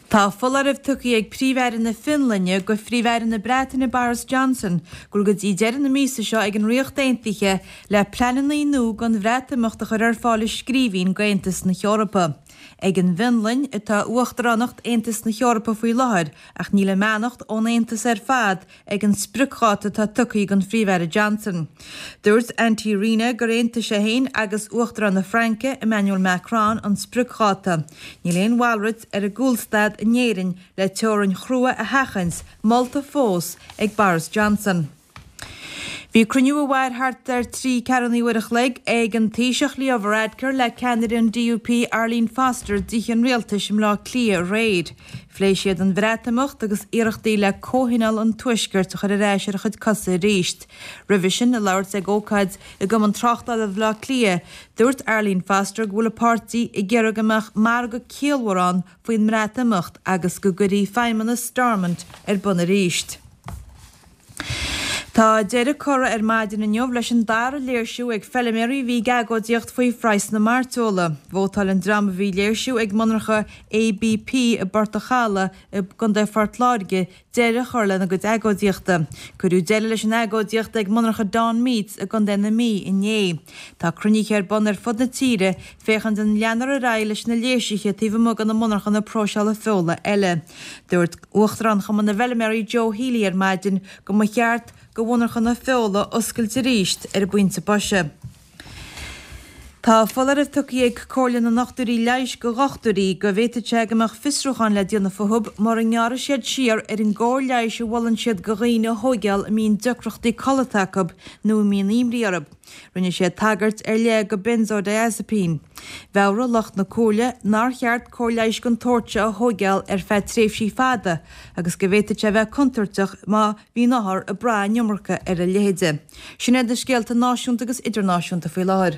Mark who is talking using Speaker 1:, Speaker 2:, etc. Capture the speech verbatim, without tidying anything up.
Speaker 1: Tá foláireamh tugtha ag Príomh-Aire na Fionlainne go Phríomh-Aire na Breataine Boris Johnson go bhfuil go dtí deireadh na míosa seo ag an Ríocht Aontaithe le pleananna nua don Bhreatimeacht a chur ar fáil i scríbhinn go Aontas na hEorpa. Ag an bhFionlainn atá uachtaránacht Aontas na hEorpa faoi láthair ach níl a mbeannacht ón Aontas ar fad ag an spriocdháta atá tugtha ag an Phríomh-Aire Johnson. Dúirt Antti Rinne gur aontaigh sé féin agus Uachtarán na Fraince Emmanuel Macron an spriocdháta. Níl aon mhalrait ar an gcúlstad in Éirinn le teorainn chrua a sheachaint molta fós ag Boris Johnson. Bhí cruinniú a mhair thart ar trí ceathrúna uair a chloig ag an Taoiseach Leo Varadkar le ceannaire an DUP Arlene Foster i dTithe an Rialtais i mBleá Cliath aréir. Phléigh siad an Bhreatimeacht agus iarrachtaí le comhthionól an Tuaiscirt a chur ar ais ar a chuid cosa arís. Roimhe sin ag labhairt ag ócáid i gCumann Tráchtála Bhaile Átha Cliath, dúirt Arlene Foster go bhfuil a páirtí ag iarraidh go mbeadh margadh ciallmhar ann faoin mBreatimeacht agus go gcuirfí feidhmeannas Stormont ar bun arís. Tá deireadh curtha ar maidin inniu leis an dara léirsiú ag feilméaraí a bhí ag agóidíocht faoi phraghas na mairteola. Vótáil an dream a bhí ag léirsiú ag monarcha ABP i bPort a' Chalaidh i gContae Phort Láirge deireadh a chur lena gcuid agóidíochta. Cuireadh deireadh leis an agóidíocht ag monarcha Dawn Meats i gContae na Mí inné. Tá cruinnithe ar bun ar fud na tíre féachaint an leanfar ar aghaidh leis na léirsithe taobh amuigh de na monarchana próiseála feola eile. Dúirt Uachtarán Chumann na bhFeilméaraí Joe Healy ar maidin go mba cheart do mhonarchana feola oscailt arís ar an bpointe boise. Tá foláireamh tugtha ag Comhairle na nDochtúirí Leighis go dhochtúirí go bhféadfadh sé go mbeadh fiosrúchán le déanamh fúthu mura ngearrfaidh siad siar ar an gcóir leighis a mholann siad go dhaoine a thóigeáil a mbíonn deacrachtaí codlata acu nó a mbíonn imní orthu. Rinne siad tagairt ar leith go benzodiazepine. Mheabhraigh lucht na comhairle nár cheart cóir leighis den tsórt seo a thóigeáil ar feadh tréimhsí fada agus go bhféadfadh sé bheith contúirteach má bhíonn othar ag brath an iomarca ar a leithéide. Sin iad na scéalta náisiúnta agus idirnáisiúnta faoi láthair.